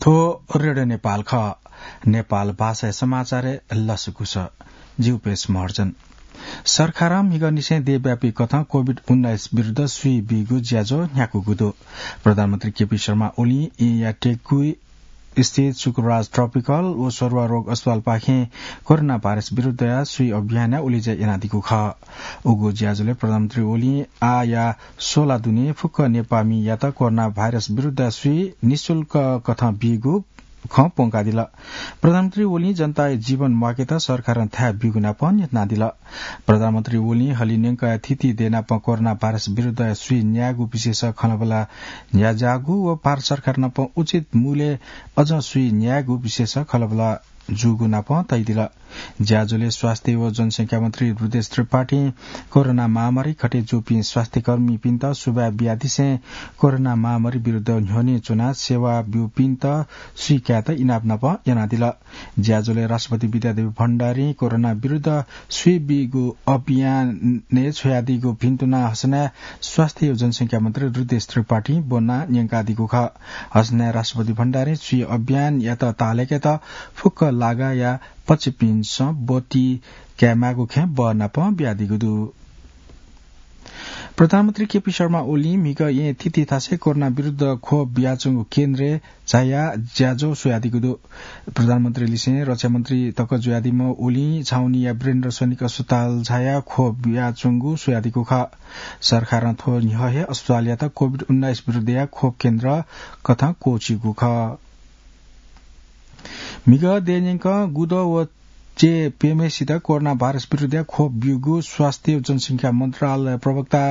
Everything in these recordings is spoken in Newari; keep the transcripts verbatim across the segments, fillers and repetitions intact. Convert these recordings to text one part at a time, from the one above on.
थ्व रेडियो नेपाल खः। नेपाल भाषाया समाचारय् लसकुस। जि उपेश महर्जन। सरकारं म्हिगःनिसें देशव्यापी कथं कोभिड उन्नाइस विरुद्ध सुइ बीगु ज्याझ्वः न्ह्याकूगु दु। प्रधानमन्त्री केपी शर्मा ओलीं येँया टेकुइ स्थित शुक्रराज ट्रपिकल व सरुवा रोग अस्पतालपाखें कोरोना भाइरस विरुद्धया सुइ अभियानया उलेज्या यानादीगु खः। उगु ज्याझ्वलय् प्रधानमन्त्री ओलीं आःया सोला दुने फुक्क नेपाःमियात कोरोना भाइरस विरुद्धया सुइ निशुल्क कथं बीगु खँ प्वंकादिल। प्रधानमन्त्री ओलीं जनताया जीवन म्वाकेत सरकारं थाय् ब्यूगु नापं न्ह्यथनादिल। प्रधानमन्त्री ओलीं हलिं न्यंकया थीथी देय् नापं कोरोना भाइरस विरुद्धया सुइ न्यायेगु विषयस खँल्हाबल्हा न्ह्याज्याःगु व भारत सरकार नापं उचित मूल्यय् अझ सुइ न्यायेगु विषयस खँल्हाबल्हा जूगु नापं तयादिल। ज्याझ्वलय् स्वास्थ्य व जनसंख्या मन्त्री रुद्रेश त्रिपाठीं कोरोना महामारी खटे जूपिं स्वास्थ्यकर्मीपिन्त सुभाय् बियादिसें कोरोना महामारी विरुद्ध न्ह्यःने च्वनाः सेवा ब्यूपिन्त सुइ कायेत इनाप नापं यानादिल। ज्याझ्वलय् राष्ट्रपति विद्यादेवी भण्डारीं कोरोना विरुद्ध सुइ बीगु अभियानय् छ्वयादीगु भिन्तुना हसनाय् स्वास्थ्य व जनसंख्या मन्त्री रुद्रेश त्रिपाठीं ब्वना न्यंकादीगु खः। हसनाय् राष्ट्रपति भण्डारीं सुइ अभियानयात ताःलाकेत फुक्क लागाया पच्चीपिन्सं ब्वति कायेमाःगु खँय् बः नापं बियादीगु दु। प्रधानमन्त्री केपी शर्मा ओलीं म्हिगः येँ थीथी थासय् कोरोना विरुद्ध खोप बियाच्वंगु केन्द्रय् झायाः ज्याझ्वः स्वयादीगु दु। प्रधानमन्त्रीलिसें रक्षामन्त्री तक जुयादीम्ह ओलीं छाउनीया वीरेन्द्र सैनिक अस्पताल झायाः खोप बियाच्वंगु स्वयादीगु खः। सरकारं थ्व न्ह्यः हे अस्पतालयात कोभिड उन्नाइस विरुद्धया खोप केन्द्र कथं क्वःछिउगु खः। म्हिगः देय् न्यंकं गुदँ व चे प्यम्हेसित कोरोना भाइरस विरुद्धया खोप ब्यूगु स्वास्थ्य व जनसंख्या मन्त्रालय प्रवक्ता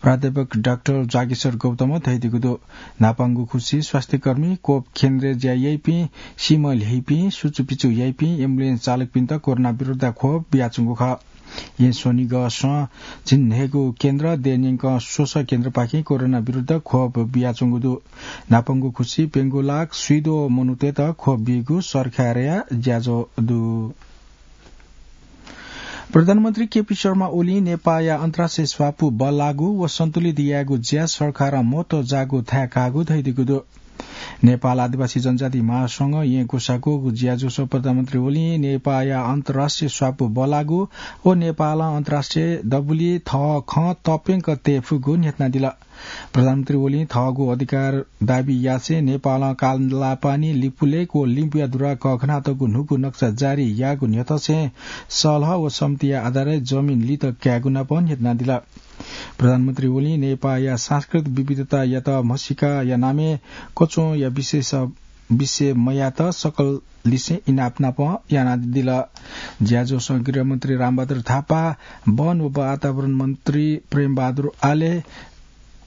प्राध्यापक डाक्टर जागेश्वर गौतमं धयादीगु दु। न्हापांगु खुसी स्वास्थ्यकर्मी, कोप केन्द्रय् ज्या याइपिं, सीम्ह ल्ह्यइपिं, सुचुपिचु याइपिं, एम्बुलेन्स चालकपिन्त कोरोना विरुद्धया खोप बियाच्वंगु खः। येँ स्वनिगःसं झिंन्हय्गू केन्द्र, देय् न्यंकं स्वसः केन्द्रपाखें कोरोना विरुद्ध खोप बियाच्वंगु दु। न्हापांगु खुसी प्यंगू लाख स्वीद्वः मनूतय्त खोप बीगु सरकारया ज्याझ्वः दु। प्रधानमन्त्री केपी शर्मा ओलीं नेपाःया अन्तर्राष्ट्रिय स्वापू बल्लाःगु व सन्तुलित यायेगु ज्या सरकारं महत्व जाःगु थाय् काःगु धयादीगु दु। नेपाल आदिवासी जनजाति महासंघं येँ ग्वसाः क्वःगु ज्याझ्वलय् प्रधानमन्त्री ओलीं नेपाःया अन्तर्राष्ट्रिय स्वापू बल्लाःगु व नेपालं अन्तर्राष्ट्रिय दबुलिइ थःखँ तप्यंक तये फुगु न्ह्यथनादिल। प्रधानमन्त्री ओलीं थःगु अधिकार दाबी यासें नेपालं कालापानी, लिपुलेक व लिम्बुया दुरा कःघानातःगु न्हूगु नक्सा जारी याःगु न्ह्यथंसें सल्लाह व सहमतिया आधारय् जमिन लित कायेगु नापं न्ह्यथनादिल। प्रधानमन्त्री ओलीं नेपाःया सांस्कृतिक विविधतायात म्हसीकाया नामय् कच्वंया विशेष, विषय मयात सकललिसें इनाप नापं यानादिल। ज्याझ्वलय् गृहमन्त्री रामबहादुर थापा, वन व वातावरण मन्त्री प्रेमबहादुर आले,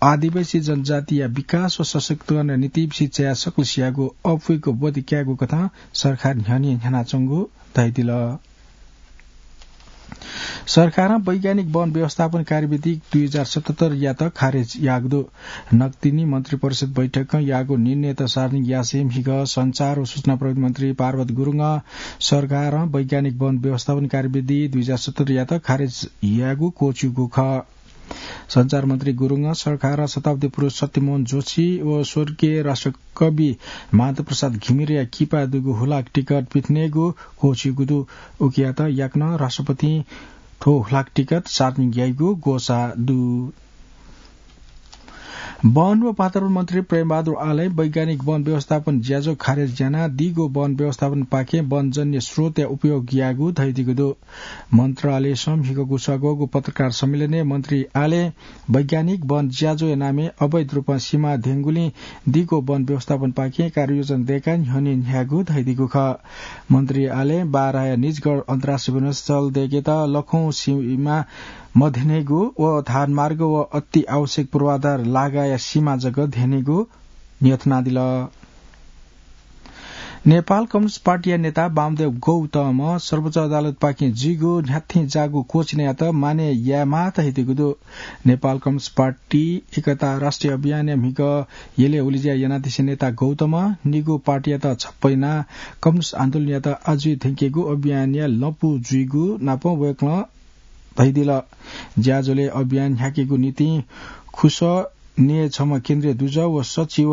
आदिवासी जनजातिया विकास व सशक्तिकरणया निंतिं बिसिचाया सकलसियागु अप्वय्क ब्वति कायेगु कथं सरकार न्ह्यःने न्ह्यानाच्वंगु धयादिल। सरकारं वैज्ञानिक वन व्यवस्थापन कार्यविधि दुई हजार सतहत्तर यात खारेज याःगु दु। नकतिनि मन्त्रिपरिषद बैठकं याःगु निर्णयत सार्वजनिक यासें म्हिगः सञ्चार व सूचना प्रविधि मन्त्री पार्वत गुरुङं सरकारं वैज्ञानिक वन व्यवस्थापन कार्यविधि दुई हजार सतहत्तर यात खारेज याःगु क्वःछिउगु खः। सञ्चार मन्त्री गुरुङं सरकारं शताब्दी पुरुष सत्यमोहन जोशी व स्वर्गीय राष्ट्रकवि माधव प्रसाद घिमिरेया किपा दुगु हुलाक टिकट पिथनेगु क्वःछिउगु दु। उकियात याकनं राष्ट्रपतिं थ्व हुलाक टिकट सार्वजनिक याइगु ग्वसाः दु। वन व वातावरण मन्त्री प्रेमबहादुर आलें वैज्ञानिक वन व्यवस्थापन ज्याझ्वः खारेज यानाः दीगु वन व्यवस्थापनपाखें वनजन्य स्रोतया उपयोग यायेगु धयादीगु दु। मन्त्रालयसं म्हिगः ग्वसाः क्वःगु पत्रकार सम्मेलनय् मन्त्री आलें वैज्ञानिक वन ज्याझ्वःया नामय् अवैध रूपं सिमा धेंगुलिं दीगु वन व्यवस्थापनपाखें कार्ययोजना दय्काः न्ह्यःने न्ह्यायेगु धयादीगु खः। मन्त्री आलें बाराया निजगढ अन्तर्राष्ट्रिय विमानस्थल दय्केत लखौं सिमा मध्यनेगु व धारमार्ग व अति आवश्यक पूर्वाधार लागाया सिमा जक धेनेगु न्ह्यथनादिल। नेपाल कम्युनिस्ट पार्टीया नेता वामदेव गौतमं सर्वोच्च अदालतपाखें जुइगु न्ह्याथें जाःगु क्वःछिनयात मानय् यायेमाः धयादीगु दु। नेपाल कम्युनिस्ट पार्टी एकता राष्ट्रिय अभियानया म्हिगः यलय् उलेज्या यानादिसें नेता गौतमं निगू पार्टीयात छप्पँ यानाः कम्युनिस्ट आन्दोलनयात आजुइ थ्यंकेगु अभियानया लँपु जुइगु नापं वय्कलं धयादिल। ज्याझ्वलय् अभियान न्ह्याकेगु निंतिं खुसः नये छम्ह केन्द्रीय दुजः व सचिव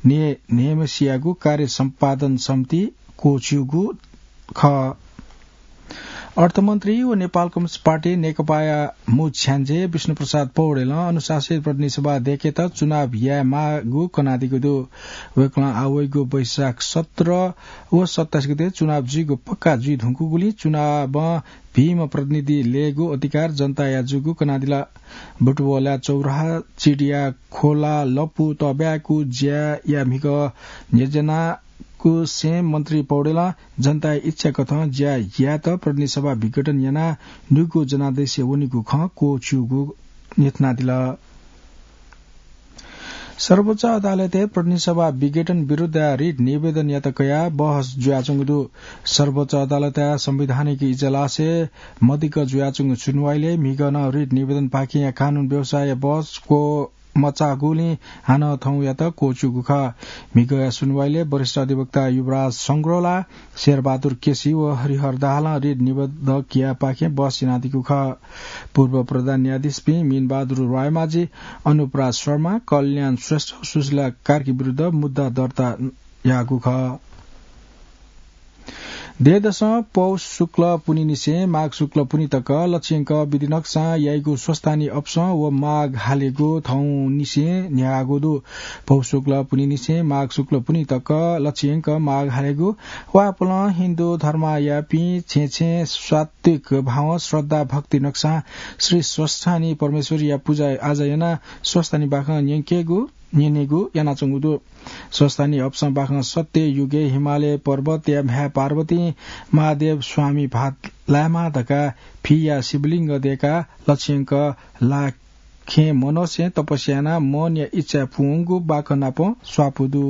ने-, नेमसियागु कार्य सम्पादन समिति क्वःछिउगु खः। अर्थमन्त्री व नेपाल कम्युनिस्ट पार्टी नेकपाया मू छ्याञ्जे विष्णुप्रसाद पौडेलं अनुशासित प्रतिनिधि सभा देकेत चुनाव यायेमाःगु कनादीगु दु। वय्कलं आवइगु वैशाख सत्र व सत्ताइस गते चुनाव जुइगु पक्का जुइ धुंकूगुलिं चुनावं भीम्ह प्रतिनिधि लयेगु अधिकार जनताया जूगु कनादिल। बुटवःलाया चौराहा, चिडिया खोला, लपु तःब्यायेगु ज्याया म्हिगः न्ह्यज्यानागु सें मन्त्री पौडेलं जनताया इच्छा कथं ज्या यायेत प्रतिनिधि सभा विघटन यानाः न्हूगु जनादेशय् वनीगु खँ क्वःछिउगु न्ह्यथनादिल। सर्वोच्च अदालतय् प्रतिनिधि सभा विघटन विरुद्ध रिट निवेदन यात कयाः बहस जुयाच्वंगु दु। सर्वोच्च अदालतया संवैधानिक इजलासय् मदिक्क जुयाच्वंगु सुनवाइलय् म्हिगः नं रिट निवेदनपाखें कानून व्यवसायया बहस क्वमचाःगुलिं हानं थौंयात क्वःछिउगु खः। म्हिगःया सुनवाइलय् वरिष्ठ अधिवक्ता युवराज संग्रोला, शेरबहादुर केसी व हरिहर दाहालं रिट निवेदकयापाखें बहस यानादीगु खः। पूर्व प्रधान न्यायाधीशपिं मीनबहादुर रायमाझी, अनुपराज शर्मा, कल्याण श्रेष्ठ, सुशीला कार्की विरुद्ध मुद्दा दर्ता याःगु खः। देय्‌दसं पौष शुक्ल पुन्हिनिसें माघ शुक्ल पुन्हि तक लछियंक विधि नक्सां याइगु स्वस्थानी अपसं व माघ हालेगु थौंनिसें न्ह्याःगु दु। पौष शुक्ल पुन्हिनिसें माघ शुक्ल पुन्हि तक लछियंक माघ हालेगु वापलं हिन्दू धर्मयापिं छेँ छेँ सात्विक भावं श्रद्धा भक्ति नक्सां श्री स्वस्थानी परमेश्वरया पुजा आजा यानाः स्वस्थानी बाखं न्यंकेगु, न्यनेगु यानाच्वंगु दु। स्वस्थानी अपसं बाखं सत्य युगय् हिमालय पर्वतया म्ह्याय् पार्वतीं महादेव स्वामी भाःत लायेमाः धकाः फिया शिवलिङ्ग दयेकाः लछियंक लाखें मनसें तपस्या यानाः मनया इच्छा पूवंगु बाखं नाप स्वापू दु।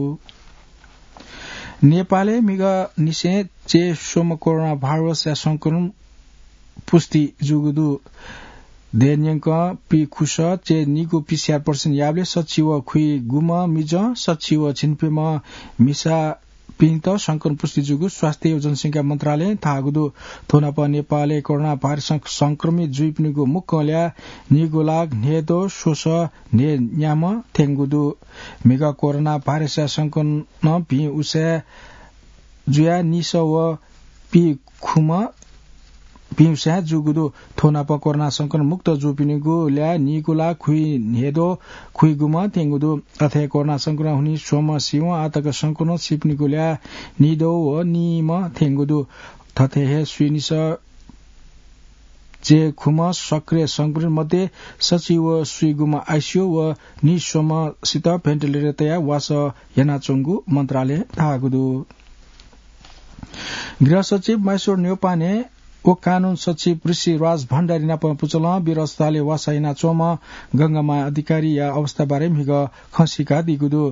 नेपालय् म्हिगःनिसें चे स्वम्ह कोरोना भाइरसया संक्रमण पुष्टि जूगु दु। देय् न्यंकं पीखुसः चे निगू पिस्यार प्रतिशत याःबलय् सच्छि व खुइगुम्ह मिजं, सच्छि व झिंप्यम्ह मिसापिन्त संक्रमण पुष्टि जूगु स्वास्थ्य व जनसंख्या मन्त्रालयं धाःगु दु। थ्व नाप नेपालय् कोरोना भाइरसं संक्रमित जुइपिनिगु मुक्कं ल्याः निगू लाख न्हय्दँ स्वसः न्हय्न्याम्ह थ्यंगु दु। म्हिगः कोरोना भाइरसया संक्रमणं भिं उसाँय् जुयाः निसः व पीखुम्ह भिं उसाँय् जूगु दु। थ्व नाप कोरोना संक्रमण मुक्त जूपिनिगु ल्याः निगू लाख खुइन्हय्दँ खुइगुम्ह थ्यंगु दु। अथे कोरोना संक्रमणं हुनिं स्वम्ह सिवं आःतक संक्रमण सीपिनिगु ल्याः निद्वः व नीम्ह थ्यंगु दु। थथे हे स्वीनिसः चे खुम्ह सक्रिय संक्रमित मध्ये सच्छि व स्वीगुम्ह आइसियू व निस्वम्हसित भेन्टिलेटर तयाः वासः यानाच्वंगु मन्त्रालयं धाःगु दु। गृह सचिव महेश्वर न्यौपाने व कानून सचिव ऋषिराज भण्डारी नाप पुचलं वीर अस्पतालय् वासः यानाच्वंम्ह गंगामाया अधिकारीया अवस्थाबारे म्हिगः खँ सीकादीगु दु।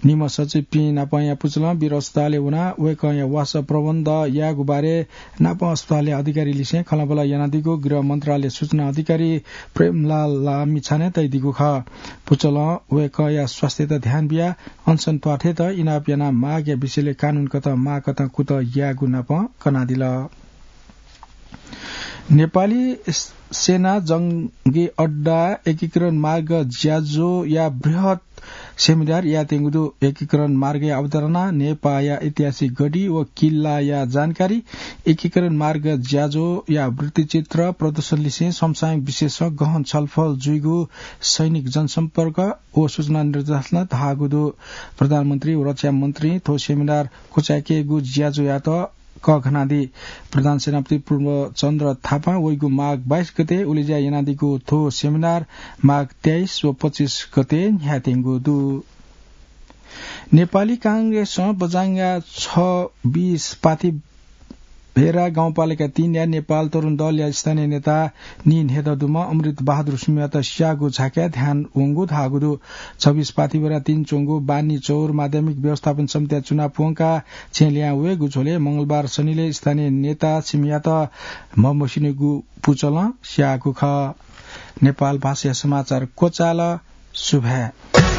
निम्ह सचिवपिं नापंया पुचलं वीर अस्पतालय् वनाः वय्कःया वासः प्रबन्ध यायेगु बारे नापं अस्पतालया अधिकारीलिसें खँल्हाबल्हा यानादीगु गृह मन्त्रालय सूचना अधिकारी प्रेमलाल लामिछानें तयादीगु खः। पुचलं वय्कःया स्वास्थ्ययात ध्यान बियाः अनसन त्वाथय्त इनाप यानाः मागया विषयलय् कानून कथं माःकथं कुतः यायेगु नापं कनादिल। नेपाली सेना जंगी अड्डा एकीकरण मार्ग ज्याझ्वःया बृहत् सेमिनार यायेत्यंगु दु। एकीकरण मार्गया अवधारणा, नेपाःया ऐतिहासिक गढी व किल्लाया जानकारी, एकीकरण मार्ग ज्याझ्वःया वृत्तचित्र प्रदर्शनलिसें समसामयिक विषयसं गहन छलफल जुइगु सैनिक जनसम्पर्क व सूचना निर्देशालयं धाःगु दु। प्रधानमन्त्री व रक्षा मन्त्रीं थ्व सेमिनार क्वचायेकेगु ज्याझ्वःयात कःघानादी। प्रधान सेनापति पूर्णचन्द्र थापां वइगु माघ बाइस गते उलेज्या यानादीगु थ्व सेमिनार माघ तेइस व पच्चिस गते न्ह्यायेत्यंगु दु। नेपाली कांग्रेसं बझाङया छब्बिस पाथी भेरा गाउँपालिका तीनया नेपाल तरुण दलया स्थानीय नेता नीन्हय्दँ दुम्ह अमृत बहादुर सुमियात स्याःगु झाँक्रीया ध्यान वंगु धाःगु दु। छब्बिस पाथी भेरा तीन च्वंगु बानी चौर माध्यमिक व्यवस्थापन समितिया चुनाव प्वंकाः छेँ लिहां वयेगु झ्वलय् मंगलबार सनिलय् स्थानीय नेता सुमियात म्हमस्यूनिगु पुचलं स्याःगु खः। नेपाल भाषाया समाचार क्वचाल। सुभाय्।